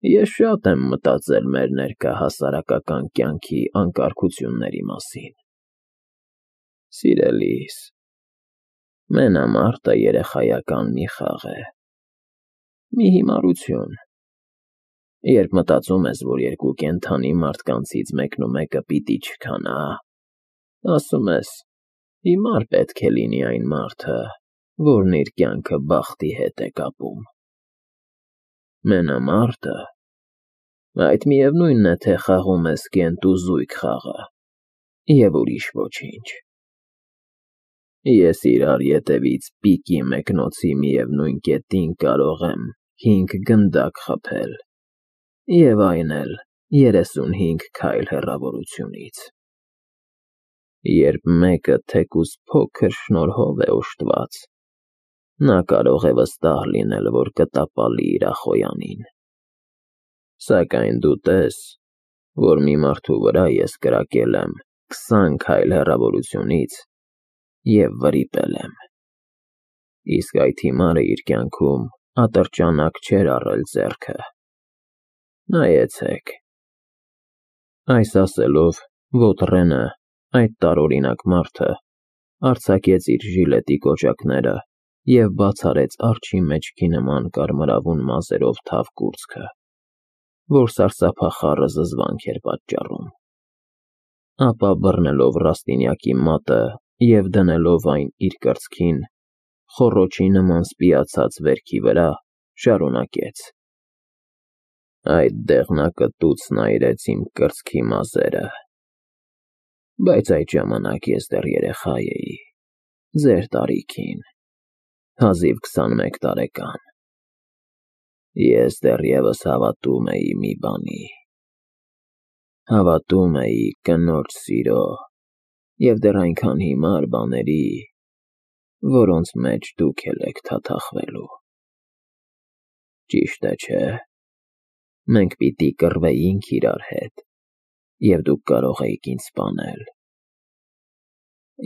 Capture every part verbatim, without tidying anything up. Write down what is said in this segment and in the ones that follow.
Ես շատ եմ մտածել մեր ներկա հասարակական կյանքի անկարգությունների մասին, սիրելիս, մենամարտը երեխայական մի խաղ է, մի հիմարություն, երբ մտածում ես, որ երկու կենդանի մարդկանցից մեկնումեկը պիտի չքանա, ասում ես, հիմար պետք է լինի այն մարդը, որն իր կյանքը բախտի հետ է կապում, մենամարտը, այդ միևնույնն է, թե խաղում ես կենտ ու զույգ խաղը և ուրիշ ոչինչ, ես իրար ետևից պիկի մեկնոցի միևնույն կետին կարող եմ հինգ գնդակ խփել և այն էլ երեսունհինգ քայլ հեռավորությունից, երբ մեկը թեկուզ փոքր շնորհով է օժտված, նա կարող է վստահ լինել, որ կտապալի իր ախոյանին, սակայն դու տես, որ մի մարդու վրա ես կրակել եմ քսան քայլ հեռավորությունից և վրիպել եմ, իսկ այդ հիմարը իր կյանքում ատրճանակ չէր առել ձեռքը, նայեցեք, այս ասելով Վոտրենը, այդ տարօրինակ մարդը, արձակեց իր ժիլետի կոճակները և բաց արեց արջի մեջքի նման կարմրավուն մազերով թավ կուրծքը, որ սարսափախառը զզվանք էր պատճառում, ապա բռնելով Ռաստինյակի մատը և դնելով այն իր կրծքին, խոռոչի նման սպիացած վերքի վրա, շարունակեց. Այդ դեղնակտուցն այրեց իմ կրծքի մազերը, բայց այդ ժամանակ ես դեռ երեխա էի, ձեր տարիքին, հազիվ քսանմեկ տարեկան, ես դեռևս հավատում էի մի բանի, հավատում էի կնոջ սիրո և դեռ այնքան հիմար բաների, որոնց մեջ դուք էլ եք թաթախվելու, ճիշտ է չէ, մենք պիտի կռվեինք իրար հետ և դուք կարող էիք ինձ սպանել,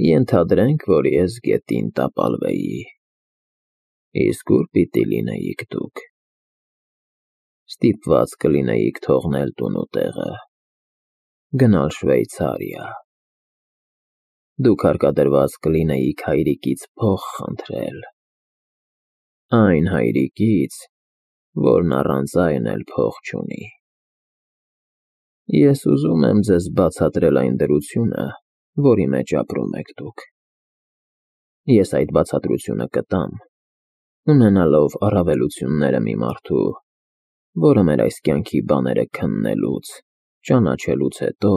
ենթադրենք, որ ես գետին տապալվեի, իսկ ուր պիտի լինեիք դուք, ստիպված կլինեիք թողնել տուն ու տեղը, գնալ Շվեյցարիա, դուք հարկադրված կլինեիք հայրիկից փող խնդրել, այն հայրիկից, որն առանց այն էլ փող չունի, ես ուզում եմ ձեզ բացատրել այն դրությունը, որի մեջ ապրում եք դուք, ես այդ բացատրությունը կտամ, ունենալով առավելությունները մի մարդու, որը մեր այս կյանքի բաները քննելուց, ճանաչելուց հետո,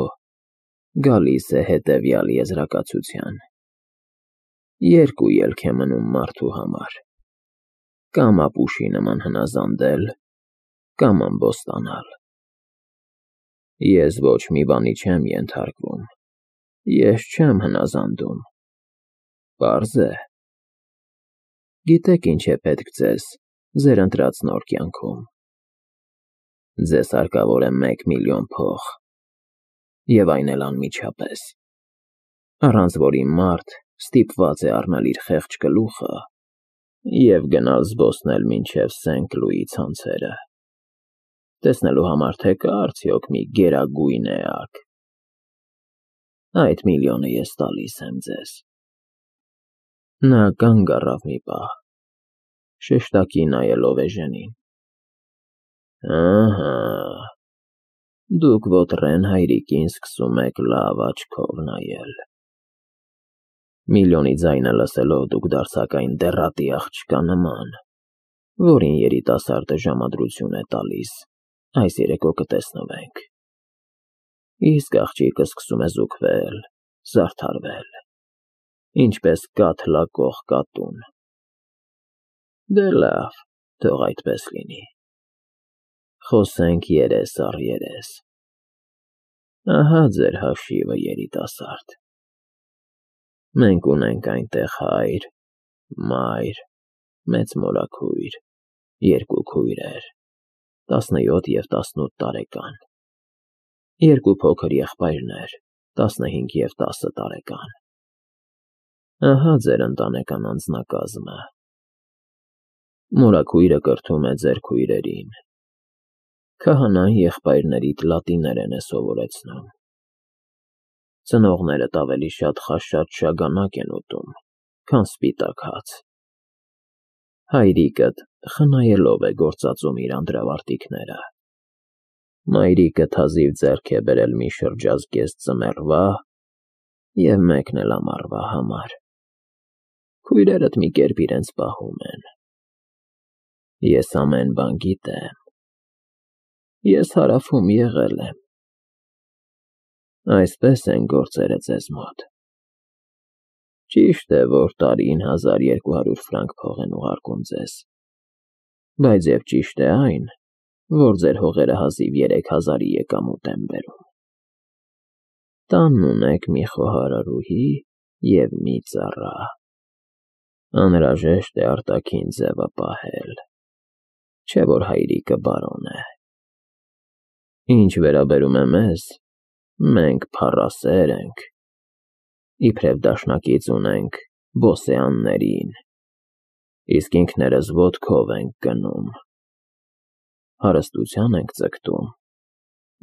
գալիս է հետևյալ եզրակացության. երկու ելք է մնում մարդու համար, կամ ապուշի նման հնազանդել, կամ ամբոստանալ, ես ոչ մի բանի չեմ ենթարկվում, ես չեմ հնազանդում, պարզ է, գիտեք ինչ է պետք ձեզ ձեր ընտրած նոր կյանքում, ձեզ հարկավոր է մեկ միլիոն փող, և այն էլ անմիջապես, առանց որի մարդ ստիպված է առնել իր խեղճ գլուխը և գնալ զբոսնել մինչև Սենկ Լուի ցանցերը, տեսնելու համար, թե կա արդյոք մի գերագույն էակ, այդ միլիոնը ես տալիս եմ ձեզ, նա կանգ առավ մի պահ, շեշտակի նայելով Էժենին, ահա, դուք Վոտրեն հայրիկին սկսում եք լավ աչքով նայել, միլիոնի ձայնը լսելով դուք դարձաք այն դեռատի աղջկա նման, որին երիտասարդը ժամադրություն է տալիս, այս երեկո կտեսնվենք, իսկ աղջիկը սկսում է զուգվել, զարդարվել, ինչպես կաթ լակող կատուն, դե լավ, թող այդպես լինի, խոսենք երես առ երես, ահա ձեր հաշիվը երիտասարդ, մենք ունենք այնտեղ հայր, մայր, մեծ մորաքույր, երկու քույրեր, տասնյոթ և տասնութ տարեկան, երկու փոքր եղբայրներ, տասնհինգ և տասը տարեկան, ահա ձեր ընտանեկան անձնակազմը, մորաքույրը կրթում է ձեր քույրերին, Քահանան եղբայրներիդ լատիներեն է սովորեցնում։ Ծնողներդ ավելի շատ խաշած շագանակ են ուտում, քան սպիտակ հաց։ Հայրիկդ խնայելով է գործածում իր անդրավարտիքները։ Մայրիկդ հազիվ ձեռք է բերել մի շրջազգեստ ձմեռվա և մեկն էլ ամառվա համար։ Քույրերդ մի կերպ իրենց պահում են։ Ես ամեն բան գիտեմ։ Ես Հարավում եղել եմ։ Այսպես են գործերը ձեզ մոտ։ Ճիշտ է, որ տարին հազար երկու հարյուր ֆրանկ փող են ուղարկում ձեզ, բայց և ճիշտ է այն, որ ձեր հողերը հազիվ երեք հազարի եկամուտ են բերում։ Տանն ունեք մի խոհարարուհի և մի ծառա։ Անհրաժեշտ է արտաքին ձևը պահել, չէ որ հայրիկը բարոն է։ Ինչ վերաբերում է մեզ, մենք փառասեր ենք, իբրև դաշնակից ունենք բոսեաններին, իսկ ինքներս ոտքով ենք գնում, հարստության ենք ձգտում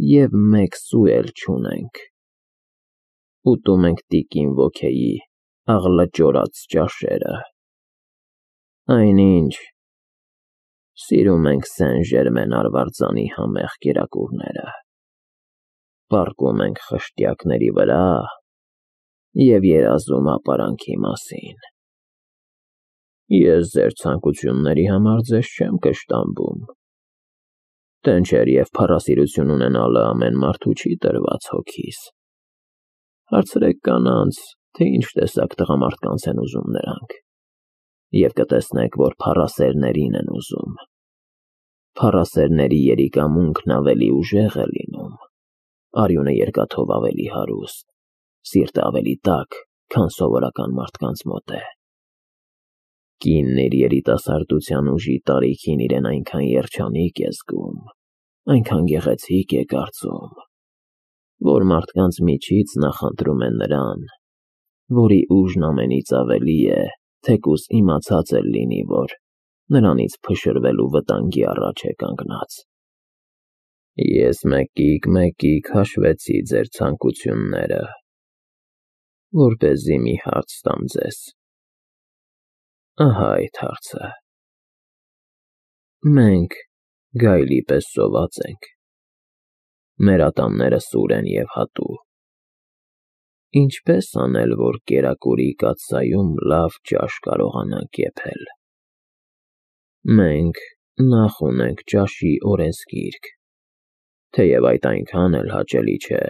և մեկ սու էլ չունենք, ուտում ենք տիկին ոգեի աղլճորած ճաշերը, այնինչ, սիրում ենք Սեն-Ժերմեն արվարձանի համեղ կերակուրները, պառկում ենք խշտյակների վրա և երազում ապարանքի մասին։ Ես ձեր ցանկությունների համար ձեզ չեմ կշտամբում, տենչեր և փառասիրություն ունենալը ամեն մարդու չի տրված հոգիս։ Հարցրեք կանանց, թե ինչ տեսակ տղամարդկանց են ուզում նրանք, և կտեսնեք, որ փառասերներին են ուզում։ Փառասերների երիկամունքն ավելի ուժեղ է լինում, արյունը երկաթով ավելի հարուստ, սիրտը ավելի տաք, քան սովորական մարդկանց մոտ է։ Կինն իր երիտասարդության ուժի տարիքին իրեն այնքան երջանիկ է զգում, այնքան գեղեցիկ է կարծում, որ մարդկանց միջից նախընտրում է նրան, որի ուժն ամենից ավելի է, թեկուզ իմացած էլ լինի, որ նրանից փշրվելու վտանգի առաջ է կանգնած։ Ես մեկիկ-մեկիկ հաշվեցի ձեր ցանկությունները, որպեսզի մի հարց տամ ձեզ։ Ահա այդ հարցը. մենք գայլի պես սոված ենք, մեր ատամները սուր են և հատու։ Ինչպե՞ս անել, որ կերակուրի կաթսայում լավ ճաշ կարողանանք եփել։ Մենք նախ ունենք ճաշի օրենսգիրք, թեև այդ այնքան էլ հաճելի չէ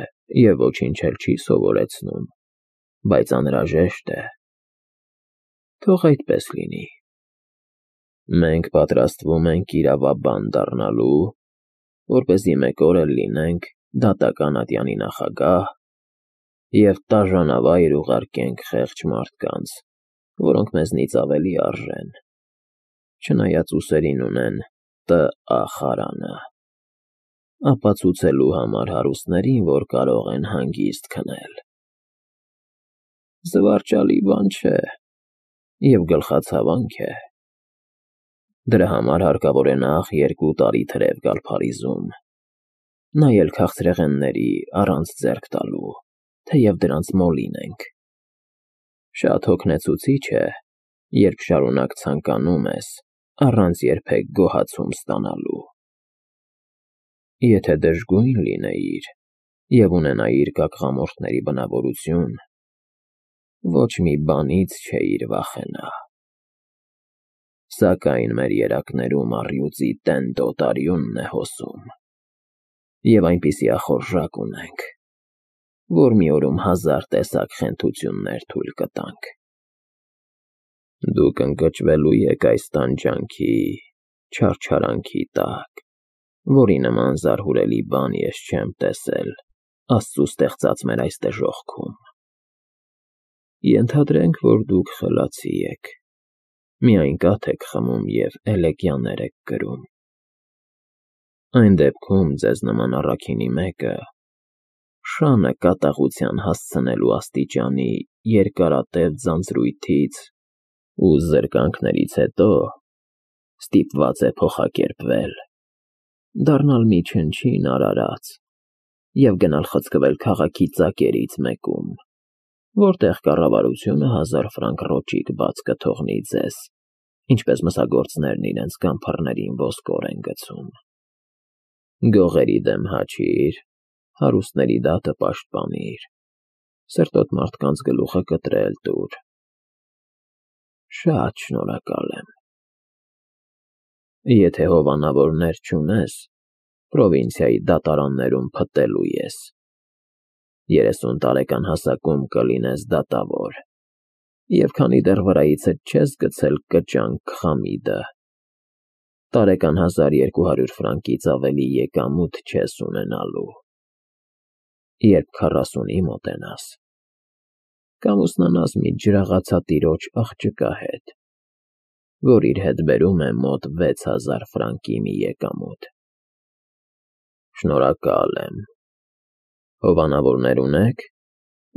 և ոչինչ էլ չի սովորեցնում, բայց անհրաժեշտ է։ Թող այդպես լինի։ Մենք պատրաստվում ենք իրավաբան դառնալու, որպեսզի մեկ օր էլ լինենք դատական ատյանի նախագահ և տաժանավայր ուղարկենք խեղճ մարդկանց, որոնք մեզնից ավելի արժեն, չնայած ուսերին ունեն Տ Ա խարանը, ապացուցելու համար հարուստներին, որ կարող են հանգիստ քնել։ Զվարճալի բան չէ և գլխացավանք է։ Դրա համար հարկավոր է նախ երկու տարի թրև գալ Փարիզում, նայել քաղցրեղենների առանց ձեռք տալու, թեև դրանց մոլին ենք։ Շատ հոգնեցուցիչ է, երբ շարունակ ցանկանում ես, առանց երբեք գոհացում ստանալու։ Եթե դժգույն լինեիր և ունենայիր կակղամորթների բնավորություն, ոչ մի բանից չէիր վախենա։ Սակայն մեր երակներում առյուծի տենդ օտարյունն է հոսում, և այնպիսի ախորժակ ունենք, որ մի օրում հազար տեսակ խենթություններ թույլ կտանք։ Դուք ընկճվելու եք այս տանջանքի, չարչարանքի տակ, որի նման զարհուրելի բան ես չեմ տեսել Աստծու ստեղծած մեր այս դժոխքում։ Ենթադրենք, որ դուք խելացի եք, միայն կաթ եք խմում և էլեգյաներ եք կրում։ Այն դեպքում ձեզ նման առաքինի մեկը, շանը կատաղության հասցնելու աստիճանի երկարատև ձանձրույթից ու զրկանքներից հետո ստիպված է փոխակերպվել դառնալ մի չնչին արարած և գնալ խցկվել քաղաքի ծակերից մեկում, որտեղ կառավարությունը հազար ֆրանկ ռոճիկ բաց կթողնի ձեզ, ինչպես մսագործներն իրենց գանձարներին ոսկոր են գցում։ Գողերի դեմ հաչիր, հարուստների դատը պաշտպանիր, սրտոտ մարդկանց գլուխը կտրել տուր։ Շատ շնորհակալ եմ։ Եթե հովանավորներ չունես, պրովինցիայի դատարաններում փտելու ես։ Երեսուն տարեկան հասակում կլինես դատավոր, և քանի դեռ վրայիցդ չես գցել կճանք խամիդը, տարեկան հազար երկու հարյուր ֆրանկից ավելի եկամուտ չես ունենալու։ Երբ քառասունի մոտենաս, կամուսնանաս մի ջրաղացատիրոջ աղջկա հետ, որ իր հետ բերում է մոտ վեց հազար ֆրանկի մի եկամուտ։ Շնորհակալ եմ։ Հովանավորներ ունե՞ք,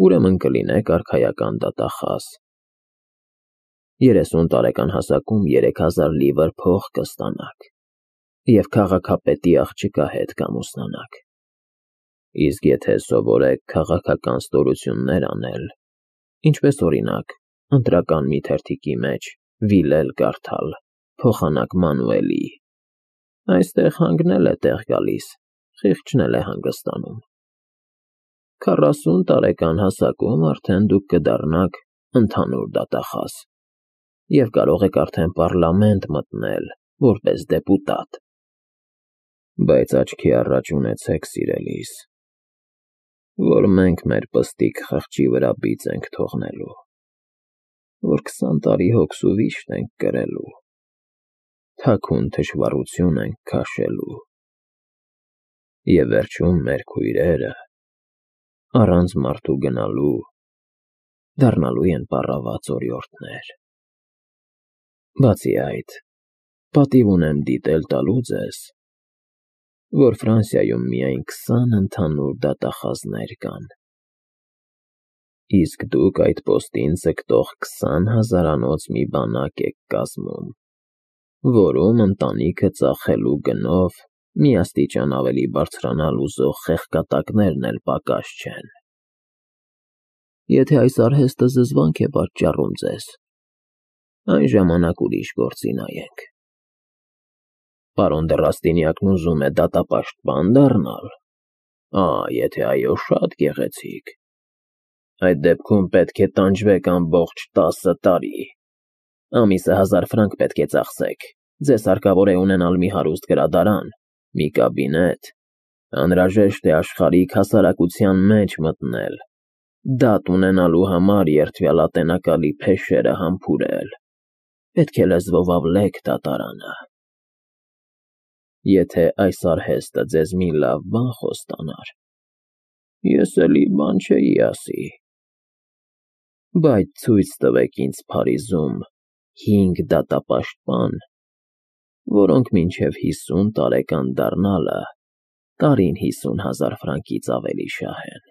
ուրեմն կլինեք արքայական դատախազ։ Երեսուն տարեկան հասակում երեք հազար լիվր փող կստանաք և քաղաքապետի աղջկա հետ կամուսնանաք։ Իսկ եթե սովորեք քաղաքական ստորություններ անել, ինչպես օրինակ, ընտրական մի թերթիկի մեջ վիլել կարդալ, փոխանակ Մանուելի, այստեղ հանգնել է տեղ գալիս, խիղճն էլ է հանգստանում։ Քառասուն տարեկան հասակում արդեն դուք կդառնաք ընդհանուր դատախազ և կարող եք արդեն պառլամենտ մտնել որպես դեպուտատ։ Բայց աչքի առաջ ունեցեք, սիրելիս, որ մենք մեր պստիկ խղճի վրա բիծ ենք թողնելու, որ քսան տարի հոգսու վիշտ ենք կրելու, թաքուն թշվառություն ենք քաշելու, և վերջում մեր քույրերը, առանց մարդու գնալու, դառնալու են պառաված օրիորդներ։ Բացի այդ, պատիվ ունեմ դիտել տալու ձեզ, որ Ֆրանսիայում միայն քսան ընդհանուր դատախազներ կան, իսկ դուք այդ պոստին ձգտող քսան հազարանոց մի բանակ եք կազմում, որում ընտանիքը ծախելու գնով մի աստիճան ավելի բարձրանալ ուզող խեղկատակներն էլ պակաս չեն։ Եթե այս արհեստը զզվանք է պատճառում ձեզ, այն ժամանակ ուրիշ գործի նայենք։ Պարոն դը Ռաստինյակն ուզում է դատապաշտպան դառնալ։ Ա, եթե այո, շատ գեղեցիկ։ Այդ դեպքում պետք է տանջվեք ամբողջ տասը տարի։ Ամիսը հազար ֆրանկ պետք է ծախսեք, ձեզ հարկավոր է ունենալ մի հարուստ գրադարան, մի կաբինետ, անհրաժեշտ է աշխարհիկ հասարակության մեջ մտնել, դատ ունենալու համար երդվյալատենակալի փեշերը համբուրել, պետք է լեզվով ավլեք դատարանը։ Եթե այս արհեստը ձեզ մի լավ բան խոստանար, ես էլի բան չէի ասի, բայց ցույց տվեք ինձ Փարիզում հինգ դատապաշտպան, որոնք մինչև հիսուն տարեկան դառնալը տարին հիսուն հազար ֆրանկից ավելի շահեն։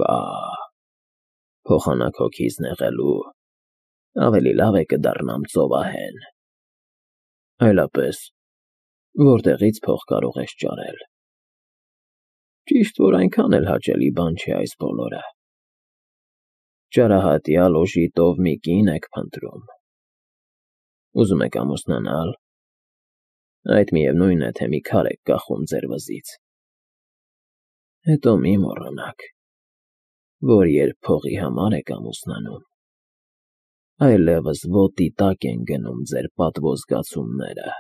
Վա՜, փոխանակ հոգիս նեղելու, ավելի լավ է կդառնամ ծովահեն։ Այլապես որտեղի՞ց փող կարող ես ճարել։ Ճիշտ որ այնքան էլ հաճելի բան չէ այս բոլորը։ Ճարահատյալ օժի տով մի կին եք փնտրում։ Ուզում եք ամուսնանալ։ Այդ միևնույն է, թե մի քար եք կախում ձեր վզից։ Հետո մի մոռանաք, որ երբ փողի համար եք ամուսնանում, այլևս ոտի տակ են գնում ձեր պատվո զգացումները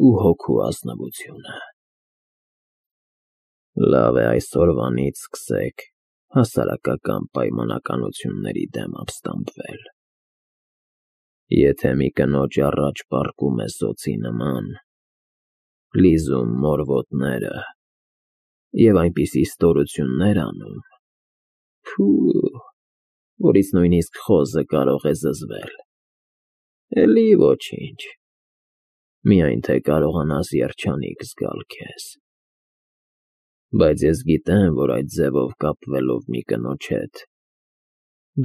ու հոգու ազնվությունը։ Լավ է այսօրվանից սկսեք հասարակական պայմանականությունների դեմ ապստամբվել։ Եթե մի կնոջ առաջ պառկում է սոցի նման, լիզում մորվոտները և այնպիսի ստորություններ անում, փու, որից նույնիսկ խոզը կարող է զզվել, էլի ոչինչ, միայն թե կարողանաս երջանիկ զգալ քեզ։ Բայց ես գիտեմ, որ այդ ձևով կապվելով մի կնոջ հետ,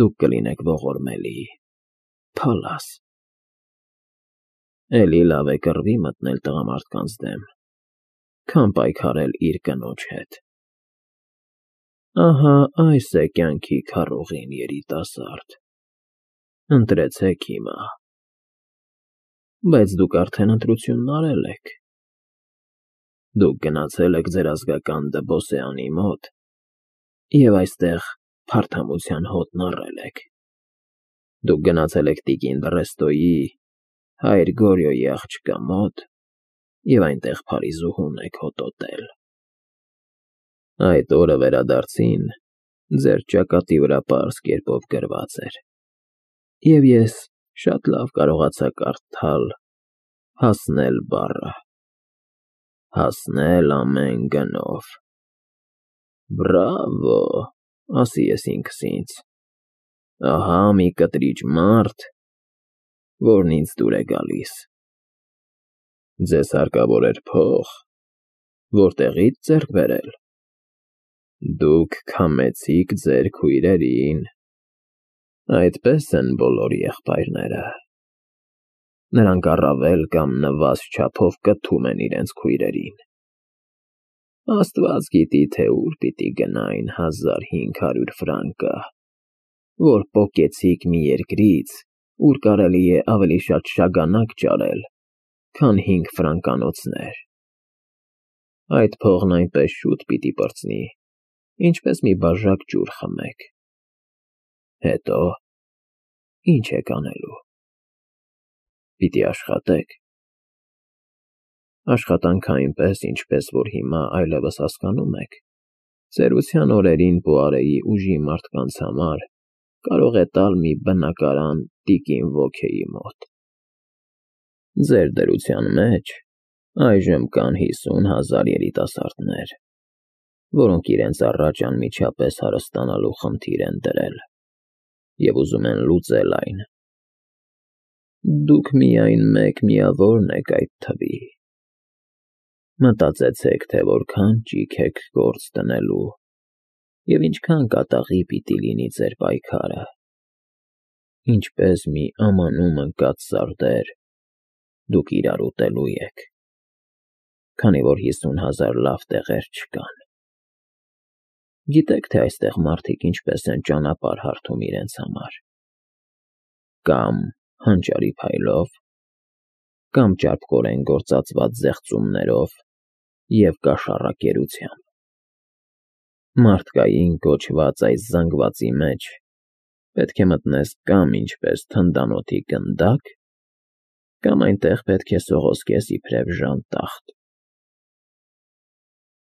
դուք կլինեք ողորմելի, փալաս։ Էլի լավ է կռվի մտնել տղամարդկանց դեմ, քան պայքարել իր կնոջ հետ։ Ահա այս է կյանքի քարողին, երիտասարդ, ընտրեցեք հիմա։ Բայց դուք արդեն ընտրությունն արել եք։ Դուք գնացել եք ձեր ազգական դպոսեանի մոտ և այստեղ փարթամության հոտն առել եք։ Դուք գնացել եք տիկին Դռեստոյի, հայր Գորյոյի աղջկա մոտ և այնտեղ փարիզուհուն եք հոտոտել։ Այդ օրը վերադարձին ձեր ճակատի վրա պարզ կերպով գրված էր, և ես շատ լավ կարողացա կարդալ «հասնել» բառը, հասնել ամեն գնով։ Բրավո, ասի ես ինքս ինձ, ահա մի կտրիչ մարդ, որն ինձ դուր է գալիս։ Ձեզ հարկավոր էր փող, որտեղի՞ց ձեռք բերել։ Դուք քամեցիք ձեր քույրերին։ Այդպես են բոլոր եղբայրները։ Նրանք առավել կամ նվազ չափով կթում են իրենց քույրերին։ Աստված գիտի, թե ուր պիտի գնա այն հազար հինգ հարյուր ֆրանկը, որ պոկեցիք մի երկրից, ուր կարելի է ավելի շատ շագանակ ճարել, քան հինգ ֆրանկանոցներ։ Այդ փողն այնպես շուտ պիտի պրծնի, ինչպես մի բաժակ ջուր խմեք։ Հետո ի՞նչ եք անելու։ Պիտի աշխատեք։ Աշխատանքը այնպես, ինչպես որ հիմա այլևս հասկանում եք, ծերության օրերին Պուարեի ուժի մարդկանց համար կարող է տալ մի բնակարան տիկին Ոքեի մոտ։ Ձեր դրության մեջ այժմ կան հիսուն հազար երիտասարդներ, որոնք իրենց առաջ անմիջապես հարստանալու խնդիր են դրել և ուզում են լուծել այն։ Դուք միայն մեկ միավորն եք այդ թվի։ Մտածեցեք, թե որքան ճիգ եք գործ դնելու և ինչքան կատաղի պիտի լինի ձեր պայքարը։ Ինչպես մի ամանում ընկած սարդեր, դուք իրար ուտելու եք, քանի որ հիսուն հազար լավ տեղեր չկան։ Գիտեք, թե այստեղ մարդիկ ինչպես են ճանապարհ հարթում իրենց համար։ Կամ հանճարի փայլով, կամ ճարպկորեն գործածված զեղծումներով և կաշառակերությամբ։ Մարդկային կոչված այս զանգվածի մեջ պետք է մտնես կամ ինչպես թնդանոթի գնդակ, կամ այնտեղ պետք է սողոսկես իբրև ժանտախտ։